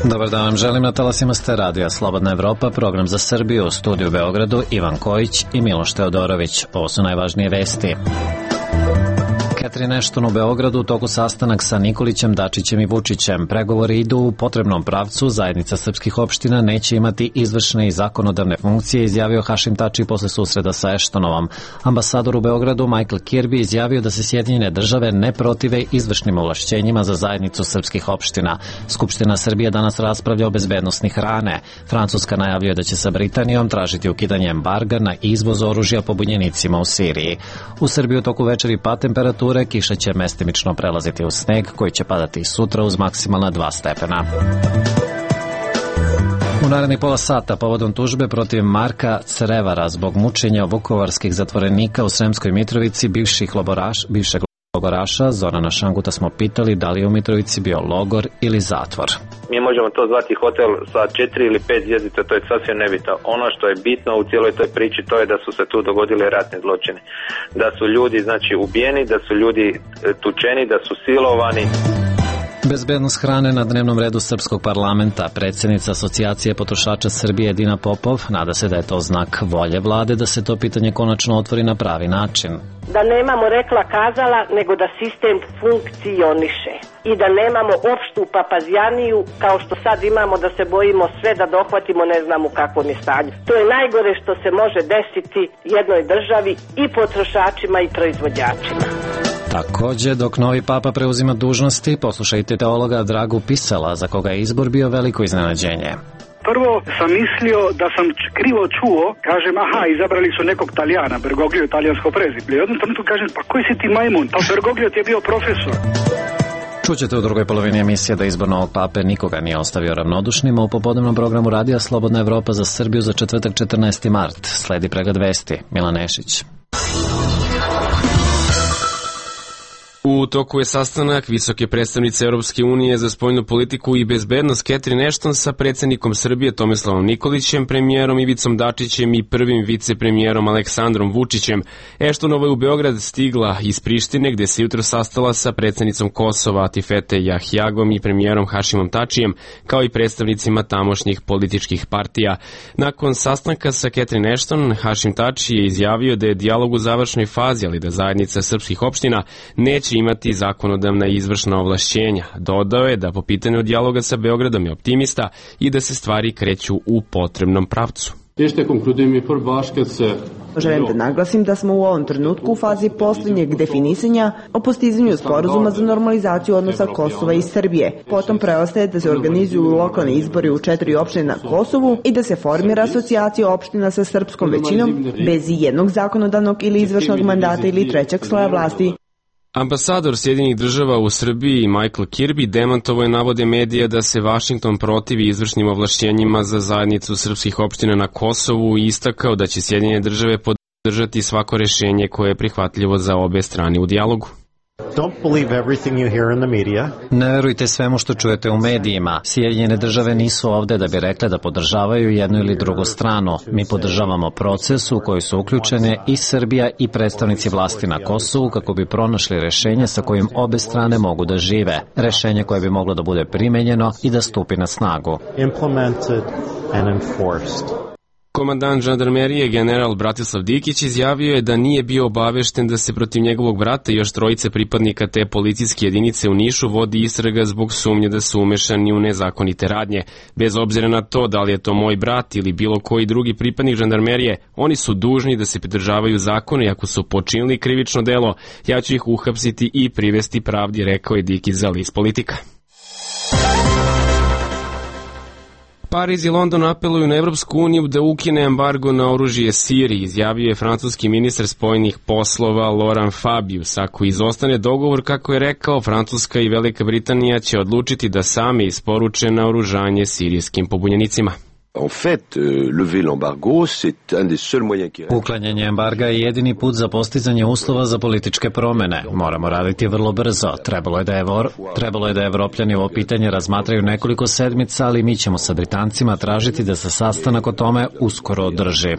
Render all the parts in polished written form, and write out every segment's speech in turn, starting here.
Dobar dan vam želim, na talasima ste radija Slobodna Evropa, program za Srbiju, u studiju u Beogradu Ivan Kojić i Miloš Teodorović. Ovo su najvažnije vesti. Catherine Ashton u Beogradu u toku sastanak sa Nikolićem, Dačićem i Vučićem. Pregovori idu u potrebnom pravcu, zajednica srpskih opština neće imati izvršne i zakonodavne funkcije, izjavio Hašim Tači posle susreda sa Ashtonovom. Ambasador u Beogradu Michael Kirby izjavio da se Sjedinjene države ne protive izvršnim ovlašćenjima za zajednicu srpskih opština. Skupština Srbije danas raspravlja o bezbednosti hrane. Francuska najavljuje da će sa Britanijom tražiti ukidanje embarga na izvoz oružja pobunjenicima u Siriji. U Srbiji u toku večeri pad temperature, kiša će mestimično prelaziti u sneg koji će padati sutra uz maksimalna 2 stepena. U narednih pola sata povodom tužbe protiv Marka Crevara zbog mučenja vukovarskih zatvorenika u Sremskoj Mitrovici bivšeg logoraša Zorana Šanguta smo pitali da li je u Mitrovici bio logor ili zatvor. Mi možemo to zvati hotel sa 4 ili 5 zvjezdica, to je sasvim nebitno. Ono što je bitno u cijeloj toj priči to je da su se tu dogodili ratni zločini. Da su ljudi ubijeni, da su ljudi tučeni, da su silovani. Bezbednost hrane na dnevnom redu Srpskog parlamenta. Predsjednica Asocijacije potrošača Srbije Dina Popov nada se da je to znak volje vlade da se to pitanje konačno otvori na pravi način. Da nemamo rekla kazala, nego da sistem funkcioniše i da nemamo opštu papazjaniju kao što sad imamo, da se bojimo sve da dohvatimo, ne znam u kakvom je stanju. To je najgore što se može desiti jednoj državi i potrošačima i proizvođačima. Također, dok novi papa preuzima dužnosti, poslušajte teologa Dragu Pisala, za koga je izbor bio veliko iznenađenje. Prvo sam mislio da sam krivo čuo, kažem, izabrali su nekog Talijana, Bergoglio, talijansko prezimlje. I jednom trenutku kažem, pa koji si ti majmun? Pa Bergoglio ti je bio profesor. Čućete u drugoj polovini emisije da izbor novog pape nikoga nije ostavio ravnodušnima. U popodnevnom programu radija Slobodna Evropa za Srbiju za četvrtak 14. mart. Sledi pregled vesti. Milan Nešić. U toku je sastanak visoke predstavnice Europske unije za spoljnu politiku i bezbednost Catherine Ashton sa predsjednikom Srbije Tomislavom Nikolićem, premijerom Ivicom Dačićem i prvim vicepremijerom Aleksandrom Vučićem. Ashtonova je u Beograd stigla iz Prištine, gde se jutro sastala sa predsjednicom Kosova Atifete Jahjagom i premijerom Hašimom Tačijem, kao i predstavnicima tamošnjih političkih partija. Nakon sastanka sa Catherine Ashton, Hašim Tači je izjavio da je dijalog u završnoj fazi, ali da zajednica srpskih opština neće imati zakonodavna i izvršna ovlašćenja. Dodao je da po pitanju dijaloga sa Beogradom je optimista i da se stvari kreću u potrebnom pravcu. Želim da naglasim da smo u ovom trenutku u fazi posljednjeg definisanja o postizanju sporazuma za normalizaciju odnosa Kosova i Srbije. Potom preostaje da se organizuju lokalni izbori u 4 opštine na Kosovu i da se formira asocijacija opština sa srpskom većinom bez jednog zakonodavnog ili izvršnog mandata ili trećeg sloja vlasti. Ambasador Sjedinjenih država u Srbiji Michael Kirby demantovao je navode medija da se Vašington protivi izvršnim ovlašćenjima za zajednicu srpskih opština na Kosovu i istakao da će Sjedinjene države podržati svako rješenje koje je prihvatljivo za obe strane u dijalogu. Ne verujte svemu što čujete u medijima. Sjedinjene države nisu ovde da bi rekle da podržavaju jednu ili drugu stranu. Mi podržavamo proces u koji su uključene i Srbija i predstavnici vlasti na Kosovu kako bi pronašli rešenje sa kojim obe strane mogu da žive. Rešenje koje bi moglo da bude primenjeno i da stupi na snagu. Komandant žandarmerije general Bratislav Dikić izjavio je da nije bio obavešten da se protiv njegovog brata i još 3 pripadnika te policijske jedinice u Nišu vodi istraga zbog sumnje da su umešani u nezakonite radnje. Bez obzira na to da li je to moj brat ili bilo koji drugi pripadnik žandarmerije, oni su dužni da se pridržavaju zakona i ako su počinili krivično delo, ja ću ih uhapsiti i privesti pravdi, rekao je Dikić za list Politika. Pariz i London apeluju na Evropsku uniju da ukine embargo na oružje Siriji, izjavio je francuski ministar spoljnih poslova Laurent Fabius. Ako izostane dogovor, kako je rekao, Francuska i Velika Britanija će odlučiti da same isporuče naoružanje sirijskim pobunjenicima. Uklanjanje embarga je jedini put za postizanje uslova za političke promene. Moramo raditi vrlo brzo. Trebalo je da Evropljani ovo pitanje razmatraju nekoliko sedmica, ali mi ćemo sa Britancima tražiti da se sastanak o tome uskoro održi.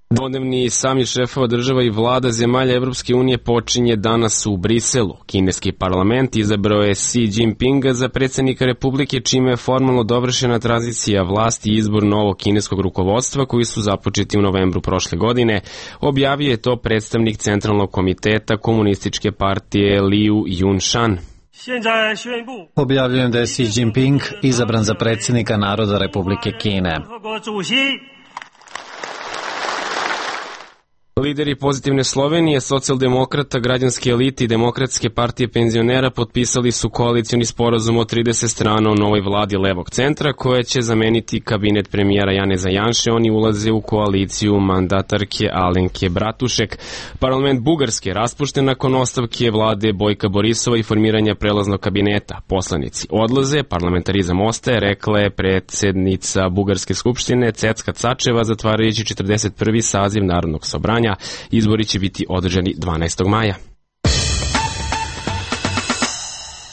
Dvodnevni samit šefova država i vlada zemalja Evropske unije počinje danas u Briselu. Kineski parlament izabrao je Xi Jinpinga za predsjednika Republike, čime je formalno dovršena tranzicija vlasti i izbor novog kineskog rukovodstva koji su započeti u novembru prošle godine. Objavio je to predstavnik Centralnog komiteta Komunističke partije Liu Yunshan. Objavljujem da je Xi Jinping izabran za predsjednika Naroda Republike Kine. Lideri Pozitivne Slovenije, socijaldemokrata, građanske elite i Demokratske partije penzionera potpisali su koalicioni sporazum od 30 strana o novoj vladi levog centra koja će zameniti kabinet premijera Janeza Janše. Oni ulaze u koaliciju mandatarke Alenke Bratušek. Parlament Bugarske raspušten nakon ostavke vlade Bojka Borisova i formiranja prelaznog kabineta. Poslanici odlaze, parlamentarizam ostaje, rekla je predsjednica Bugarske skupštine Cecka Cačeva, zatvarajući 41. saziv Narodnog sabranja. Izbori će biti održani 12. maja.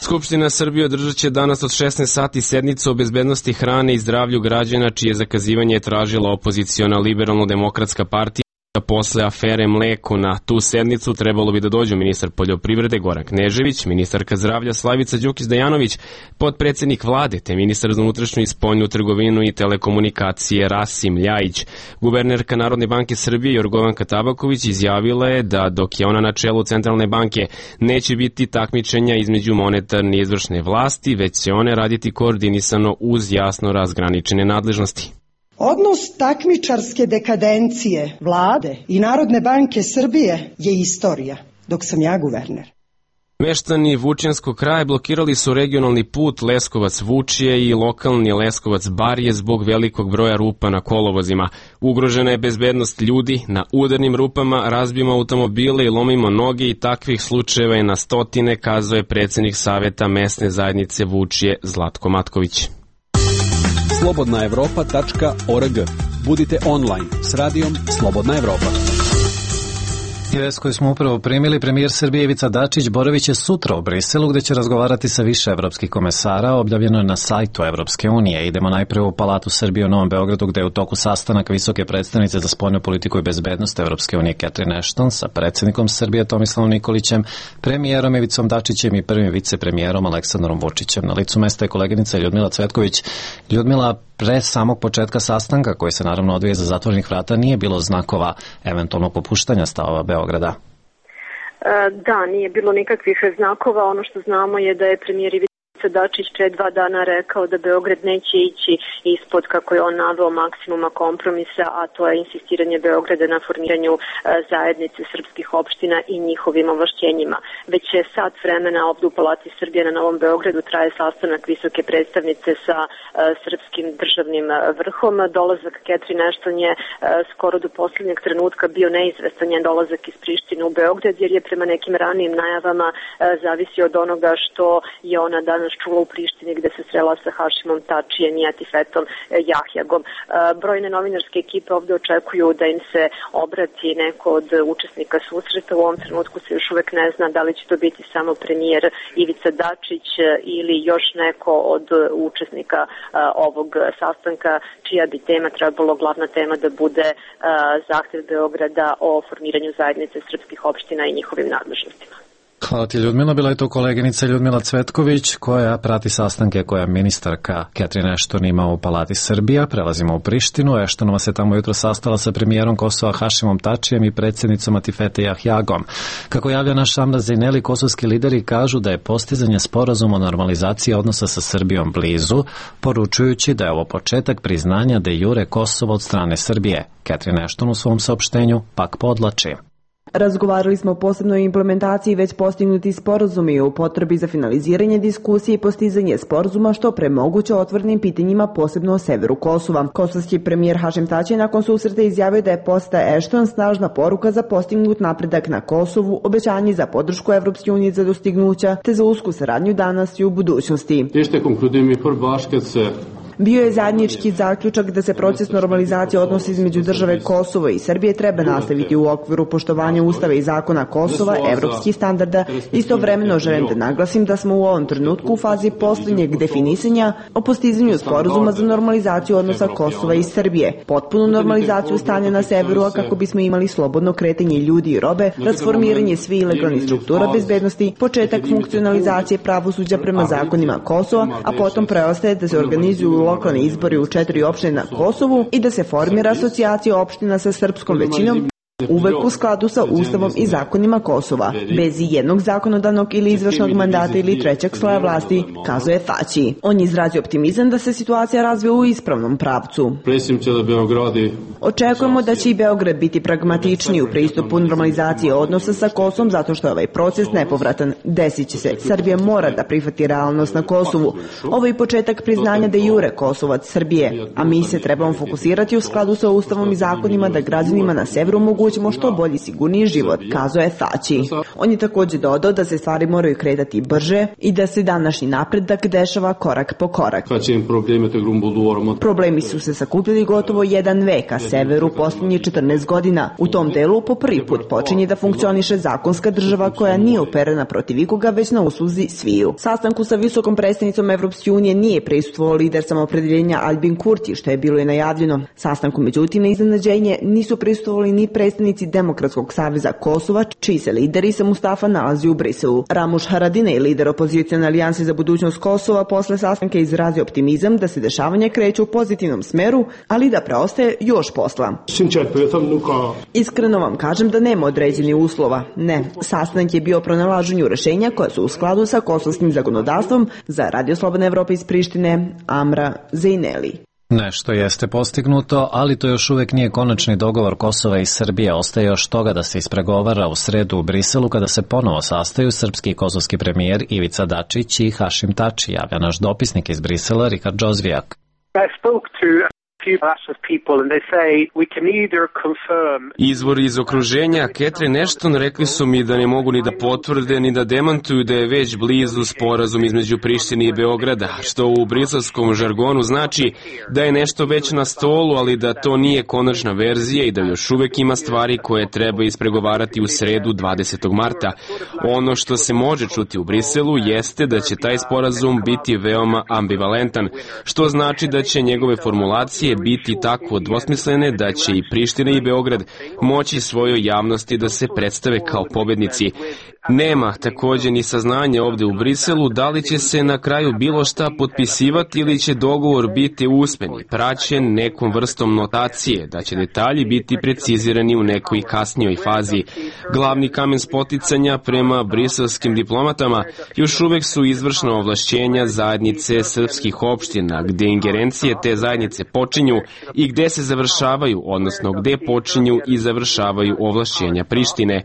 Skupština Srbije održat će danas od 16 sati sednicu o bezbednosti hrane i zdravlju građana, čije zakazivanje je tražila opoziciona Liberalno-demokratska partija. Posle afere mleko na tu sednicu trebalo bi da dođu ministar poljoprivrede Goran Knežević, ministarka zdravlja Slavica Đukić-Dejanović, potpredsjednik vlade te ministar za unutrašnju i spoljnu trgovinu i telekomunikacije Rasim Ljajić. Guvernerka Narodne banke Srbije Jorgovanka Tabaković izjavila je da dok je ona na čelu Centralne banke neće biti takmičenja između monetarne i izvršne vlasti, već će one raditi koordinisano uz jasno razgraničene nadležnosti. Odnos takmičarske dekadencije vlade i Narodne banke Srbije je istorija, dok sam ja guverner. Meštani Vučjanskog kraja blokirali su regionalni put Leskovac-Vučje i lokalni Leskovac-Barje zbog velikog broja rupa na kolovozima. Ugrožena je bezbednost ljudi, na udarnim rupama razbijemo automobile i lomimo noge i takvih slučajeva je na stotine, kazao je predsjednik Saveta mesne zajednice Vučje Zlatko Matković. slobodnaevropa.org. Budite online s radijom Slobodna Evropa. I vest koju smo upravo primili, premijer Srbije Ivica Dačić boravit će sutra u Briselu gde će razgovarati sa više evropskih komesara, objavljeno je na sajtu Evropske unije. Idemo najpre u Palatu Srbije u Novom Beogradu gde je u toku sastanak visoke predstavnice za spoljnu politiku i bezbednost Evropske unije Catherine Ashton sa predsjednikom Srbije Tomislavom Nikolićem, premijerom Ivicom Dačićem i prvim vicepremijerom Aleksandrom Vučićem. Na licu mesta je koleginica Ljudmila Cvetković. Ljudmila, pre samog početka sastanka, koji se naravno odvija za zatvorenih vrata, nije bilo znakova eventualnog popuštanja stavova Beograda? Da, nije bilo nikakvih znakova. Ono što znamo je da je premijer Ivica Dačić pre 2 dana rekao da Beograd neće ići ispod, kako je on naveo, maksimuma kompromisa, a to je insistiranje Beograda na formiranju zajednice srpskih opština i njihovim ovlašćenjima. Već je sat vremena ovdje u Palati Srbije na Novom Beogradu traje sastanak visoke predstavnice sa srpskim državnim vrhom. Dolazak Catherine Ashton je skoro do posljednjeg trenutka bio neizvestan, njen dolazak iz Prištine u Beograd, jer je prema nekim ranijim najavama zavisi od onoga što je ona danas čula u Prištini gde se srela sa Hašimom Tačijem i Atifetom Jahjagom. Brojne novinarske ekipe ovdje očekuju da im se obrati neko od učesnika susreta. U ovom trenutku se još uvek ne zna da li će to biti samo premijer Ivica Dačić ili još neko od učesnika ovog sastanka, čija bi tema trebalo, glavna tema, da bude zahtev Beograda o formiranju zajednice srpskih opština i njihovim nadležnostima. Hvala ti, Ljudmila. Bila je to koleginica Ljudmila Cvetković koja prati sastanke koja ministarka Catherine Ashton ima u Palati Srbija. Prelazimo u Prištinu. Ashtonova se tamo jutro sastala sa premijerom Kosova Hašimom Tačijem i predsjednicom Atifete Jahjagom. Kako javlja naš Amra Zejneli, kosovski lideri kažu da je postizanje sporazuma o normalizaciji odnosa sa Srbijom blizu, poručujući da je ovo početak priznanja de jure Kosova od strane Srbije. Catherine Ashton u svom saopštenju pak podlači: Razgovarali smo o posebnoj implementaciji već postignuti sporazumi i o potrebi za finaliziranje diskusije i postizanje sporazuma što pre moguće otvorenim pitanjima, posebno o severu Kosova. Kosovski premijer Hašim Tači nakon susreta izjavio da je poseta Ashton snažna poruka za postignut napredak na Kosovu, obećanje za podršku Evropske unije za dostignuća te za usku saradnju danas i u budućnosti. Este concludem i për bashkët se Bio je zajednički zaključak da se proces normalizacije odnosa između države Kosovo i Srbije treba nastaviti u okviru poštovanja Ustava i zakona Kosova, evropskih standarda. Istovremeno želim da naglasim da smo u ovom trenutku u fazi posljednjeg definisanja o postizanju sporazuma za normalizaciju odnosa Kosova i Srbije, potpunu normalizaciju stanja na severu, a kako bismo imali slobodno kretanje ljudi i robe, transformiranje svih ilegalnih struktura bezbednosti, početak funkcionalizacije pravosuđa prema zakonima Kosova, a potom preostaje da se organizuju lokalni izbori u 4 opštine na Kosovu i da se formira asocijacija opština sa srpskom većinom, uvek u skladu sa Ustavom i zakonima Kosova, bez jednog zakonodavnog ili izvršnog mandata ili trećeg sloja vlasti, kazuje Tači. On je izrazio optimizam da se situacija razvija u ispravnom pravcu. Očekujemo da će i Beograd biti pragmatičniji u pristupu normalizacije odnosa sa Kosovom zato što je ovaj proces nepovratan. Desit će se. Srbija mora da prihvati realnost na Kosovu. Ovo je početak priznanja de jure Kosovac Srbije, a mi se trebamo fokusirati u skladu sa Ustavom i zakonima da građanima na severu omogućimo što bolji sigurniji život, kazuje Tači. On je također dodao da se stvari moraju kretati brže i da se današnji napredak dešava korak po korak. Problemi su se sakupili gotovo 1 vek, a severu posljednjih 14 godina. U tom delu po prvi put počinje da funkcioniše zakonska država koja nije uperena protiv ikoga, već na usluzi sviju. Sastanku sa visokom predstavnicom Evropske unije nije prisustvovao lider samoopredjeljenja Albin Kurti, što je bilo i najavljeno. Sastanku međutim na iznenađenje nisu prisustvovali ni predstavnici Demokratskog saveza Kosova, čiji se lider Isa Mustafa nalazi u Briselu. Ramuš Haradinaj, lider opozicione alijanse za budućnost Kosova, posle sastanka izrazio optimizam da se dešavanja kreću u pozitivnom smeru, ali da preostaje još posla. Iskreno vam kažem da nema određenih uslova. Ne, sastanak je bio o pronalaženju rešenja koja su u skladu sa kosovskim zakonodavstvom. Za Radio Slobodna Evropa iz Prištine, Amra Zejneli. Nešto jeste postignuto, ali to još uvek nije konačni dogovor Kosova i Srbije. Ostaje još toga da se ispregovara u sredu u Briselu kada se ponovo sastaju srpski i kosovski premijer Ivica Dačić i Hašim Tači, javlja naš dopisnik iz Brisela Rihard Džozvijak. Izvori iz okruženja Catherine Ashton rekli su mi da ne mogu ni da potvrde ni da demantuju da je već blizu sporazum između Prištine i Beograda, što u briselskom žargonu znači da je nešto već na stolu, ali da to nije konačna verzija i da još uvek ima stvari koje treba ispregovarati u sredu 20. marta. Ono što se može čuti u Briselu jeste da će taj sporazum biti veoma ambivalentan, što znači da će njegove formulacije biti tako dvosmislene da će i Priština i Beograd moći svojoj javnosti da se predstave kao pobednici. Nema također ni saznanja ovde u Briselu da li će se na kraju bilo šta potpisivati ili će dogovor biti usmeni, praćen nekom vrstom notacije, da će detalji biti precizirani u nekoj kasnijoj fazi. Glavni kamen spoticanja prema briselskim diplomatama još uvek su izvršna ovlašćenja zajednice srpskih opština, gde ingerencije te zajednice počinju i gde se završavaju, odnosno gde počinju i završavaju ovlašćenja Prištine.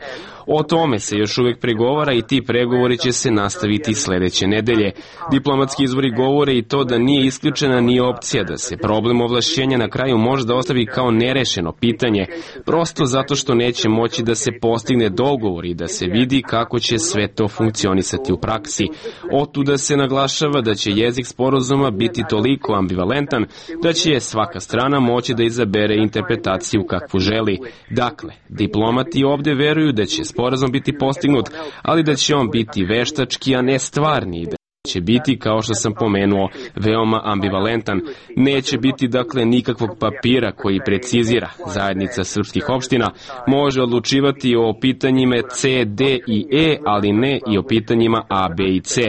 O tome se još uvek pregovara i ti pregovori će se nastaviti sledeće nedelje. Diplomatski izvori govore i to da nije isključena ni opcija da se problem ovlašćenja na kraju možda ostavi kao nerešeno pitanje, prosto zato što neće moći da se postigne dogovor i da se vidi kako će sve to funkcionisati u praksi. Otuda se naglašava da će jezik sporazuma biti toliko ambivalentan da će svaka strana moći da izabere interpretaciju kakvu želi. Dakle, diplomati ovde veruju da će sporazum biti postignut, ali da će on biti veštački, a ne stvarni, da će biti, kao što sam pomenuo, veoma ambivalentan. Neće biti, dakle, nikakvog papira koji precizira. Zajednica srpskih opština može odlučivati o pitanjima C, D i E, ali ne i o pitanjima A, B i C.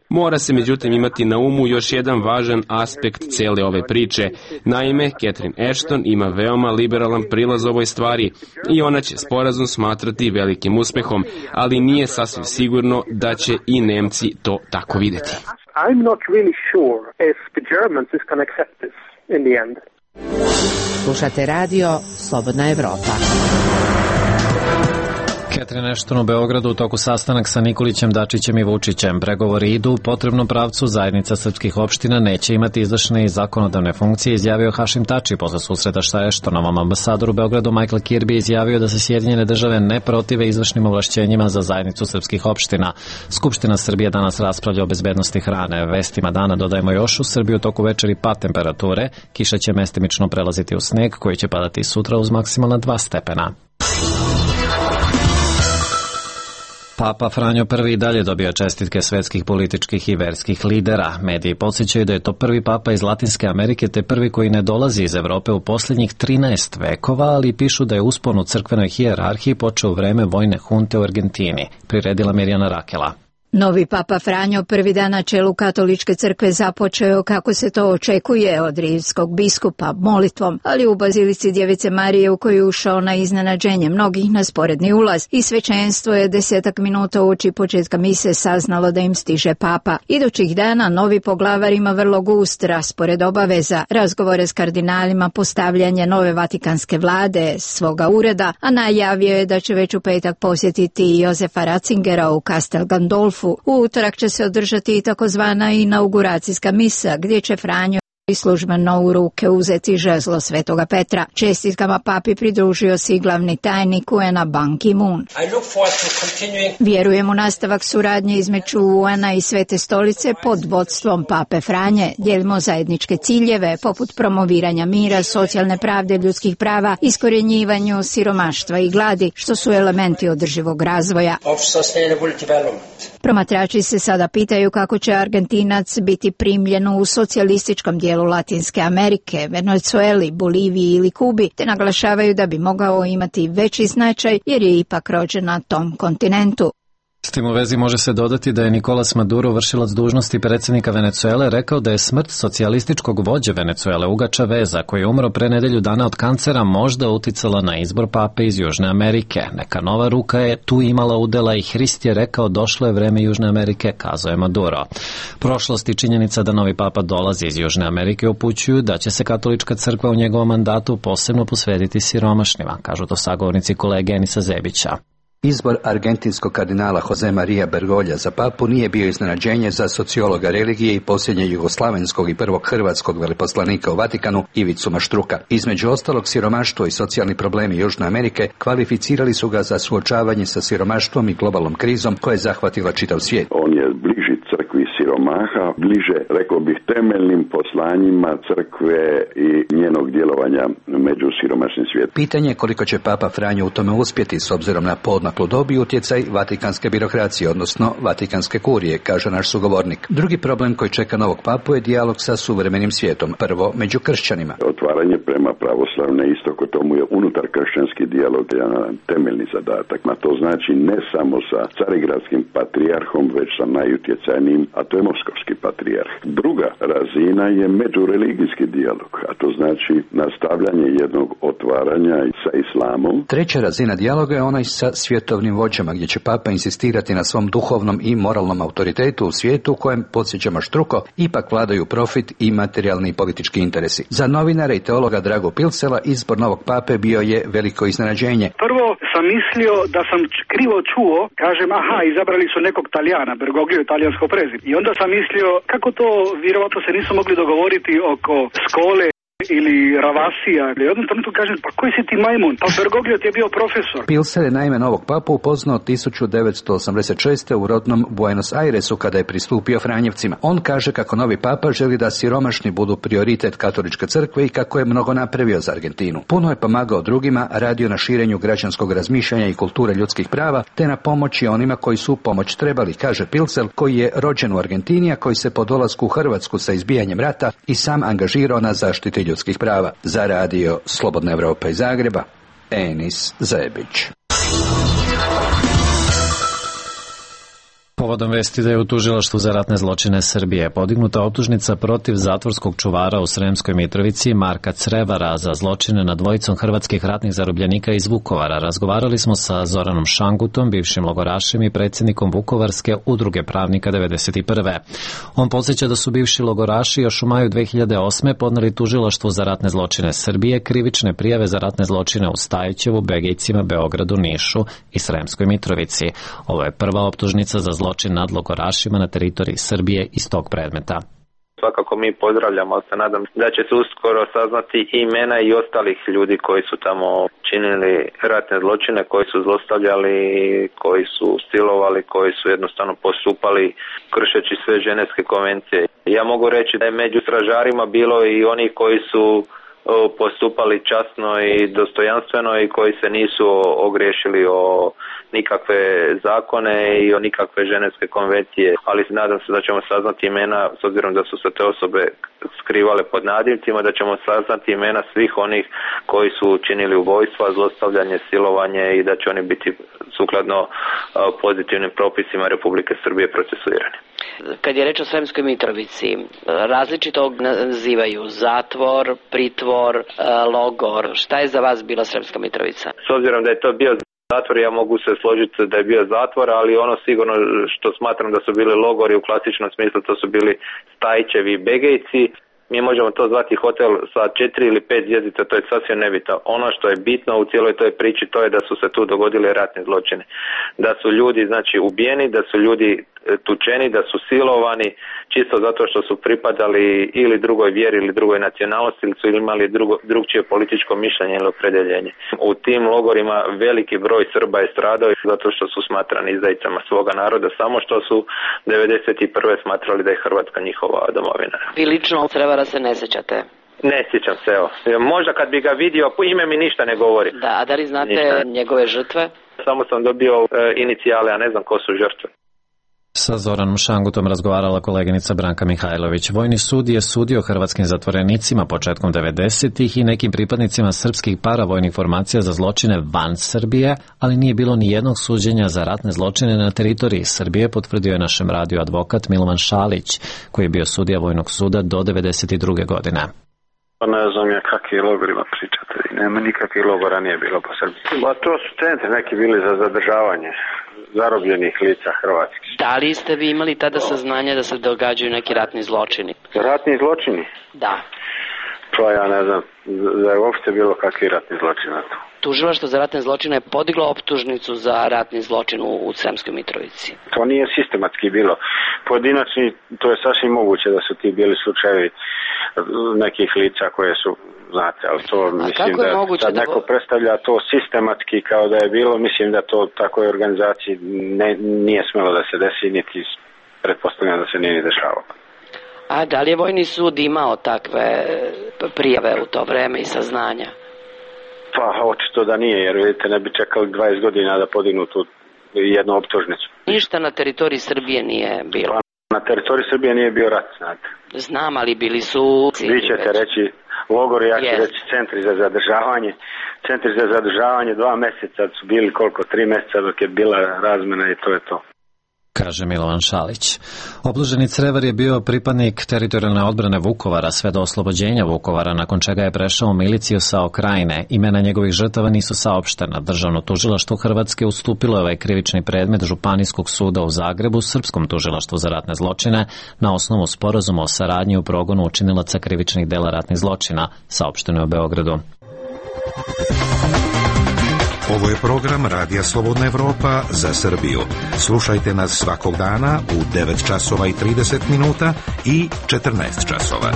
Mora se međutim imati na umu još jedan važan aspekt cele ove priče. Naime, Catherine Ashton ima veoma liberalan prilaz ovoj stvari i ona će sporazum smatrati velikim uspehom, ali nije sasvim sigurno da će i Nemci to tako videti. I'm not really sure if the Germans is going to accept this in the end. Slušate radio Slobodna Evropa. Catherine Ashton u Beogradu u toku sastanak sa Nikolićem, Dačićem i Vučićem. Pregovori idu u potrebnom pravcu, zajednica srpskih opština neće imati izvršne i zakonodavne funkcije, izjavio Hašim Tači posle susreta sa Ashtonovom. Ambasador u Beogradu Michael Kirby izjavio da se Sjedinjene države ne protive izvršnim ovlašćenjima za zajednicu srpskih opština. Skupština Srbije danas raspravlja o bezbednosti hrane. Vestima dana dodajemo još, u Srbiji u toku večeri pad temperature, kiša će mestimično prelaziti u sneg koji će padati sutra uz maksimalna 2 stepena. Papa Franjo I dalje dobio čestitke svetskih političkih i verskih lidera. Mediji podsjećaju da je to prvi papa iz Latinske Amerike te prvi koji ne dolazi iz Evrope u posljednjih 13 vekova, ali pišu da je uspon u crkvenoj hijerarhiji počeo u vreme vojne hunte u Argentini. Priredila Mirjana Rakela. Novi papa Franjo prvi dan na čelu katoličke crkve započeo, kako se to očekuje od rimskog biskupa, molitvom, ali u bazilici Djevice Marije u koju je ušao na iznenađenje mnogih na sporedni ulaz i svećenstvo je 10 minuta uoči početka mise saznalo da im stiže papa. Idućih dana novi poglavar ima vrlo gust raspored obaveza, razgovore s kardinalima, postavljanje nove vatikanske vlade, svoga ureda, a najavio je da će već u petak posjetiti Jozefa Ratzingera u Castel Gandolfu. U utorak će se održati i takozvana inauguracijska misa, gdje će Franjo i službeno u ruke uzeti žezlo Svetoga Petra. Čestitkama papi pridružio se i glavni tajnik UN-a Ban Ki-moon. Vjerujem u nastavak suradnje između UN-a i Svete stolice pod vodstvom pape Franje. Dijelimo zajedničke ciljeve poput promoviranja mira, socijalne pravde, ljudskih prava, iskorjenjivanju siromaštva i gladi, što su elementi održivog razvoja. Promatrači se sada pitaju kako će Argentinac biti primljen u socijalističkom dijelu Latinske Amerike, Venezueli, Boliviji ili Kubi, te naglašavaju da bi mogao imati veći značaj jer je ipak rođen na tom kontinentu. S tim u vezi može se dodati da je Nicolas Maduro, vršilac dužnosti predsjednika Venezuele, rekao da je smrt socijalističkog vođe Venezuele Huga Chaveza, koji je umro pre nedelju dana od kancera, možda uticala na izbor pape iz Južne Amerike. Neka nova ruka je tu imala udela i Hrist je rekao došlo je vreme Južne Amerike, kazao je Maduro. Prošlost i činjenica da novi papa dolazi iz Južne Amerike upućuju da će se katolička crkva u njegovom mandatu posebno posvetiti siromašnima, kažu to sagovornici kolege Enisa Zebića. Izbor argentinskog kardinala Jose Maria Bergolja za papu nije bio iznenađenje za sociologa religije i posljednjeg jugoslavenskog i prvog hrvatskog veleposlanika u Vatikanu Ivicu Maštruka. Između ostalog, siromaštvo i socijalni problemi Južne Amerike kvalificirali su ga za suočavanje sa siromaštvom i globalnom krizom koja je zahvatila čitav svijet. On je bliži crkvi siromaha, bliže, rekao bih, temeljnim poslanjima crkve i njenog djelovanja među siromašnim svijetom. Pitanje je koliko će papa Franjo u tome uspjeti s obzirom na poodmaklu dob i utjecaj vatikanske birokracije, odnosno vatikanske kurije, kaže naš sugovornik. Drugi problem koji čeka novog papu je dijalog sa suvremenim svijetom, prvo među kršćanima. Otvaranje prema pravoslavne istoko tomu je unutar kršćanski dijalog jedan temeljni zadatak. A to znači ne samo sa carigradskim patrijarhom, već sa najutjecajnijim, a to je moskovski patrijarh. Druga razina je međureligijski dijalog, a to znači nastavljanje jednog otvaranja sa islamom. Treća razina dijaloga je onaj sa svjetovnim vođama, gdje će papa insistirati na svom duhovnom i moralnom autoritetu u svijetu u kojem, podsjeća Maštruko, ipak vladaju profit i materijalni i politički interesi. Za novinara i teologa Dragu Pilsela izbor novog pape bio je veliko iznenađenje. Prvo sam mislio da sam krivo čuo, kažem, aha, izabrali su nekog Talijana, Bergoglio je talijansko prezime. I onda sam mislio, kako to, vjerovatno se nisu mogli dogovoriti oko Skole ili Ravasija. I onda trenutku kažem, pa koji si ti majmun? Pa Bergoglio ti je bio profesor. Pilser je naime novog papu upoznao 1986. u rodnom Buenos Airesu kada je pristupio Franjevcima. On kaže kako novi papa želi da siromašni budu prioritet katoličke crkve i kako je mnogo napravio za Argentinu. Puno je pomagao drugima, radio na širenju građanskog razmišljanja i kulture ljudskih prava, te na pomoći onima koji su pomoć trebali, kaže Pilsel, koji je rođen u Argentini, a koji se po dolasku u Hrvatsku sa izbijanjem rata i sam angažirao na zaštiti ljudskih prava. Za radio Slobodna Evropa iz Zagreba, Enis Zebić. Povodom vesti da je u tužilaštvu za ratne zločine Srbije podignuta optužnica protiv zatvorskog čuvara u Sremskoj Mitrovici Marka Crevara za zločine nad dvojicom hrvatskih ratnih zarobljenika iz Vukovara, razgovarali smo sa Zoranom Šangutom, bivšim logorašem i predsjednikom Vukovarske udruge pravnika 91. On podsjeća da su bivši logoraši još u maju 2008. podneli tužilaštvu za ratne zločine Srbije krivične prijave za ratne zločine u Stajićevu, Begejcima, Beogradu, Nišu i Sremskoj Mitrovici. Ovo je prva optužnica za zločin nad logorašima na teritoriji Srbije iz tog predmeta. Svakako mi pozdravljamo, ali se nadam da će se uskoro saznati imena i ostalih ljudi koji su tamo činili ratne zločine, koji su zlostavljali, koji su silovali, koji su jednostavno postupali kršeći sve ženevske konvencije. Ja mogu reći da je među stražarima bilo i oni koji su postupali časno i dostojanstveno i koji se nisu ogriješili o nikakve zakone i o nikakve ženevske konvencije, ali nadam se da ćemo saznati imena, s obzirom da su se te osobe skrivale pod nadimcima, da ćemo saznati imena svih onih koji su učinili ubojstva, zlostavljanje, silovanje i da će oni biti sukladno pozitivnim propisima Republike Srbije procesuirani. Kad je reč o Sremskoj Mitrovici, različito nazivaju zatvor, pritvor, logor. Šta je za vas bila Sremska Mitrovica? S obzirom da je to bio zatvor, ja mogu se složiti da je bio zatvor, ali ono sigurno što smatram da su bili logori u klasičnom smislu, to su bili Stajićevi i Begejci. Mi možemo to zvati hotel sa 4 ili 5 zvjezdica, to je sasvim nebitno. Ono što je bitno u cijeloj toj priči, to je da su se tu dogodili ratni zločini. Da su ljudi ubijeni, da su ljudi tučeni, da su silovani, čisto zato što su pripadali ili drugoj vjeri ili drugoj nacionalnosti ili su imali drugčije političko mišljenje ili opredjeljenje. U tim logorima veliki broj Srba je stradao zato što su smatrani izdajicama svoga naroda, samo što su 91. smatrali da je Hrvatska njihova domovina. Vi lično Crevara se ne sjećate? Ne sjećam se, evo. Možda kad bi ga vidio, ime mi ništa ne govori. Da, a da li znate njegove žrtve? Samo sam dobio inicijale, a ne znam ko su žrtve. Sa Zoranom Šangutom razgovarala koleginica Branka Mihajlović. Vojni sud je sudio hrvatskim zatvorenicima početkom 90-ih i nekim pripadnicima srpskih paravojnih formacija za zločine van Srbije, ali nije bilo ni jednog suđenja za ratne zločine na teritoriji Srbije, potvrdio je našem radiju advokat Milovan Šalić, koji je bio sudija Vojnog suda do 92. godine. Ne znam ja kakvi logorima pričate. Nema nikakvih logora nije bilo po Srbiji. To su centri neki bili za zadržavanje zarobljenih lica hrvatskih. Da li ste vi imali tada saznanje da se događaju neki ratni zločini? Ratni zločini? Da. To ja ne znam da je uopšte bilo kakvi ratni zločin na to. Tužilaštvo za ratne zločine je podiglo optužnicu za ratni zločin u Sremskoj Mitrovici. To nije sistematski bilo. Pojedinačni, to je sasvim moguće da su ti bili slučajevi nekih lica koje su, znate, ali to mislim da sad neko predstavlja to sistematski kao da je bilo, mislim da to takoj organizaciji nije smelo da se desi, niti pretpostavljam da se nije ni dešavalo. A da li je Vojni sud imao takve prijave u to vreme i saznanja? Pa očito da nije, jer vidite ne bi čekali 20 godina da podignu tu jednu optužnicu. Ništa na teritoriji Srbije nije bilo? Na teritoriji Srbije nije bio rat, znate. Znam, ali bili su... Vi ćete reći logori, ja ću reći centri za zadržavanje. Centri za zadržavanje 2 mjeseca su bili koliko? 3 mjeseca dok je bila razmena i to je to. Kaže Milovan Šalić. Optuženi Crevar je bio pripadnik teritorijalne odbrane Vukovara sve do oslobođenja Vukovara, nakon čega je prešao u miliciju SAO Krajine. Imena njegovih žrtava nisu saopštena. Državno tužilaštvo Hrvatske ustupilo je ovaj krivični predmet Županijskog suda u Zagrebu Srpskom tužilaštvu za ratne zločine na osnovu sporazuma o saradnji u progonu učinilaca krivičnih dela ratnih zločina, saopšteno je u Beogradu. Ovo je program Radija Slobodna Evropa za Srbiju. Slušajte nas svakog dana u 9 časova i 30 minuta i 14 časova.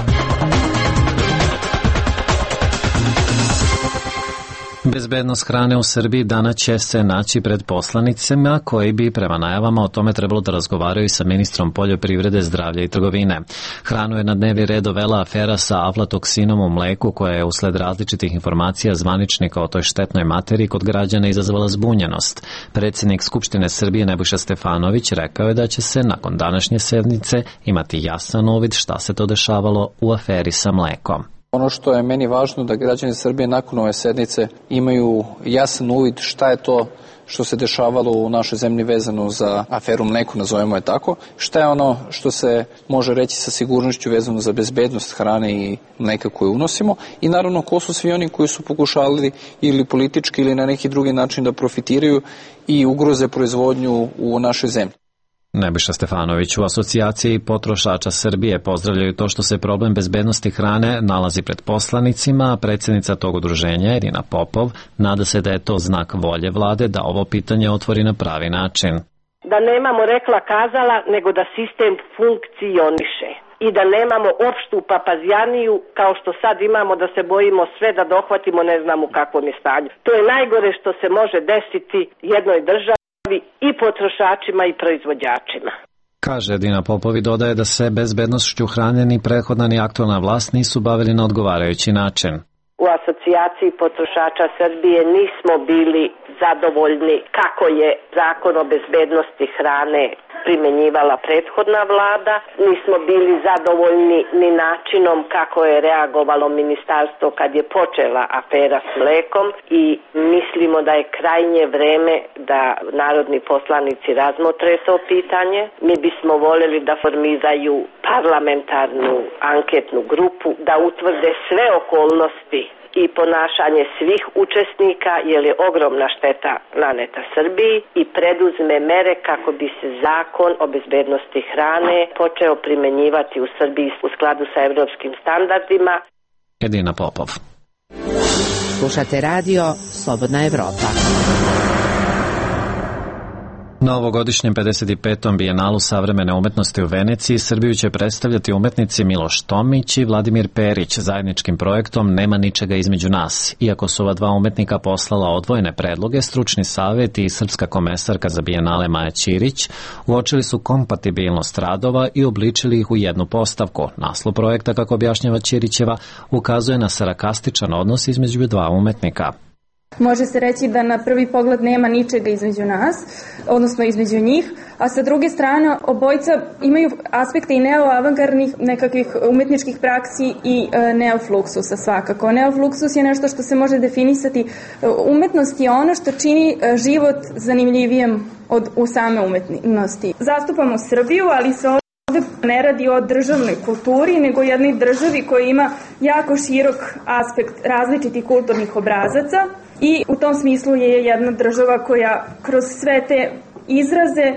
Bezbednost hrane u Srbiji danas će se naći pred poslanicima koji bi prema najavama o tome trebalo da razgovaraju sa ministrom poljoprivrede, zdravlja i trgovine. Hranu je na dnevni red dovela afera sa aflatoksinom u mleku koja je usled različitih informacija zvaničnika o toj štetnoj materiji kod građana izazvala zbunjenost. Predsjednik Skupštine Srbije Nebojša Stefanović rekao je da će se nakon današnje sednice imati jasan uvid šta se to dešavalo u aferi sa mlekom. Ono što je meni važno da građani Srbije nakon ove sednice imaju jasan uvid šta je to što se dešavalo u našoj zemlji vezano za aferu mleku, nazovemo je tako, šta je ono što se može reći sa sigurnošću vezano za bezbednost hrane i mleka koju unosimo i naravno ko su svi oni koji su pokušali ili politički ili na neki drugi način da profitiraju i ugroze proizvodnju u našoj zemlji. Nebojša Stefanović u Asocijaciji potrošača Srbije pozdravljaju to što se problem bezbednosti hrane nalazi pred poslanicima, a predsjednica tog udruženja Irina Popov nada se da je to znak volje vlade da ovo pitanje otvori na pravi način. Da nemamo rekla kazala, nego da sistem funkcioniše i da nemamo opštu papazjaniju kao što sad imamo da se bojimo sve da dohvatimo ne znam u kakvom je stanju. To je najgore što se može desiti jednoj državi i potrošačima i proizvođačima. Kaže Edina Popovi, dodaje da se bezbednošću hrane ni prethodna ni aktualna vlast nisu bavili na odgovarajući način. U Asocijaciji potrošača Srbije nismo bili zadovoljni kako je Zakon o bezbednosti hrane primenjivala prethodna vlada. Nismo bili zadovoljni ni načinom kako je reagovalo ministarstvo kad je počela afera s mlekom i mislimo da je krajnje vreme da narodni poslanici razmotre to pitanje. Mi bismo voljeli da formiraju parlamentarnu anketnu grupu, da utvrde sve okolnosti i ponašanje svih učesnika, jer je ogromna šteta naneta Srbiji i preduzme mere kako bi se Zakon o bezbednosti hrane počeo primenjivati u Srbiji u skladu sa evropskim standardima. Edina Popov. Slušate radio Slobodna Evropa. Na ovogodišnjem 55. bijenalu savremene umetnosti u Veneciji Srbiju će predstavljati umetnici Miloš Tomić i Vladimir Perić. Zajedničkim projektom Nema ničega između nas. Iako su ova dva umetnika poslala odvojene predloge, stručni savjet i srpska komesarka za bijenale Maja Ćirić uočili su kompatibilnost radova i obličili ih u jednu postavku. Naslov projekta, kako objašnjava Ćirićeva, ukazuje na sarkastičan odnos između dva umetnika. Može se reći da na prvi pogled nema ničega između nas, odnosno između njih, a sa druge strane obojica imaju aspekte i neoavangardnih nekakvih umetničkih praksi i neofluksusa svakako. Neofluksus je nešto što se može definisati. Umetnost je ono što čini život zanimljivijem od u same umetnosti. Zastupamo Srbiju, ali se ovdje ne radi o državnoj kulturi, nego jednoj državi koja ima jako širok aspekt različitih kulturnih obrazaca. I u tom smislu je jedna država koja kroz sve te izraze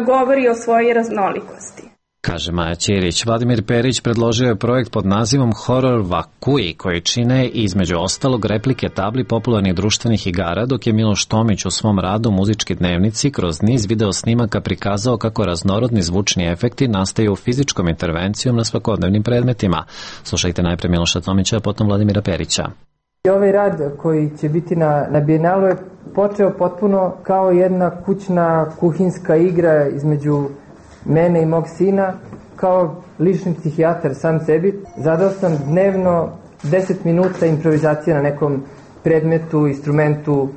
govori o svojoj raznolikosti. Kaže Maja Ćirić. Vladimir Perić predložio je projekt pod nazivom Horror Vakui, koji čine između ostalog replike tabli popularnih društvenih igara, dok je Miloš Tomić u svom radu Muzički dnevnici kroz niz video snimaka prikazao kako raznorodni zvučni efekti nastaju fizičkom intervencijom na svakodnevnim predmetima. Slušajte najpre Miloša Tomića, a potom Vladimira Perića. Ovaj rad koji će biti na bijenalu je počeo potpuno kao jedna kućna kuhinska igra između mene i mog sina, kao lični psihijatar sam sebi. Zadao sam dnevno 10 minuta improvizacije na nekom predmetu, instrumentu,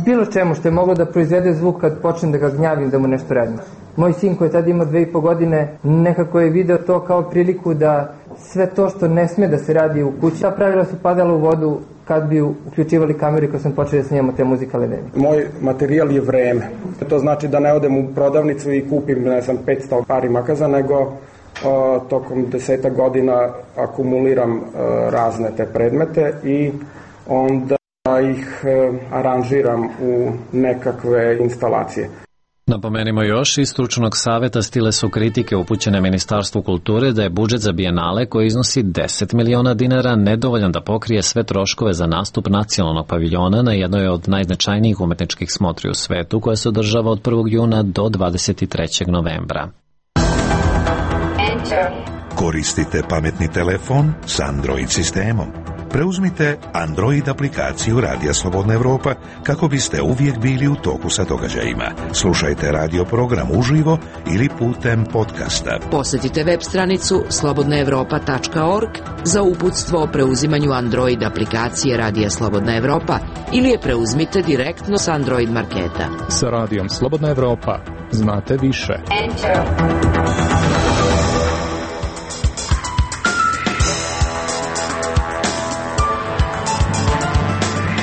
bilo čemu što je moglo da proizvede zvuk kad počnem da ga gnjavim, da mu nešto radim. Moj sin koji je tada imao 2,5 godine nekako je video to kao priliku da sve to što ne sme da se radi u kući, ta pravila su padala u vodu kad bi uključivali kameru i kad sam počeo da snimamo te muzikalne dnevnike. Moj materijal je vreme. To znači da ne odem u prodavnicu i kupim, ne znam, 500 pari makaza, nego tokom 10 godina akumuliram razne te predmete i onda ih aranžiram u nekakve instalacije. Napomenimo još, iz stručnog saveta stile su kritike upućene Ministarstvu kulture da je budžet za bijenale, koji iznosi 10 miliona dinara, nedovoljan da pokrije sve troškove za nastup nacionalnog paviljona na jednoj od najznačajnijih umetničkih smotri u svetu, koja se održava od 1. juna do 23. novembra. Koristite pametni telefon s Android sistemom. Preuzmite Android aplikaciju Radija Slobodna Evropa kako biste uvijek bili u toku sa događajima. Slušajte radio program uživo ili putem podcasta. Posjetite web stranicu slobodnaevropa.org za uputstvo o preuzimanju Android aplikacije Radija Slobodna Evropa ili je preuzmite direktno s Android marketa. Sa Radijom Slobodna Evropa znate više.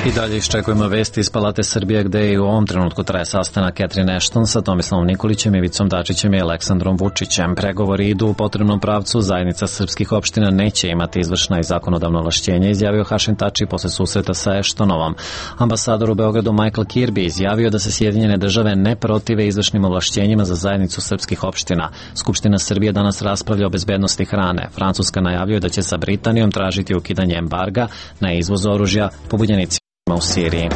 I dalje iščekujemo vesti iz Palate Srbije, gde i u ovom trenutku traje sastanak Catherine Ashton sa Tomislavom Nikolićem, Ivicom Dačićem i Aleksandrom Vučićem. Pregovori idu u potrebnom pravcu, zajednica srpskih opština neće imati izvršna i zakonodavno ovlašćenje, izjavio Hašim Tači posle susreta sa Ashtonovom. Ambasador u Beogradu Michael Kirby izjavio da se Sjedinjene države ne protive izvršnim ovlašćenjima za zajednicu srpskih opština. Skupština Srbije danas raspravlja o bezbednosti hrane. Francuska najavljuje da će sa Britanijom tražiti ukidanje embarga na izvoz oružja pobunjenicima u Siriji.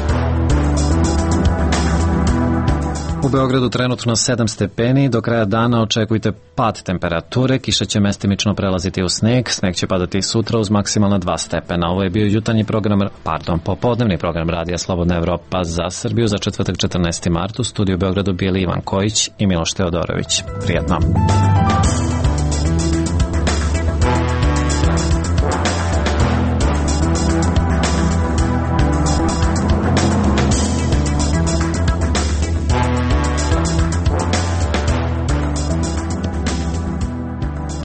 U Beogradu trenutno 7 stepeni, do kraja dana očekujte pad temperature, kiša će mestimično prelaziti u sneg, sneg će padati sutra uz maksimalno 2 stepena. Ovo je bio popodnevni program Radija Slobodna Evropa za Srbiju za četvrtak 14. mart. U studiju u Beogradu bili Ivan Kojić i Miloš Teodorović. Prijetno.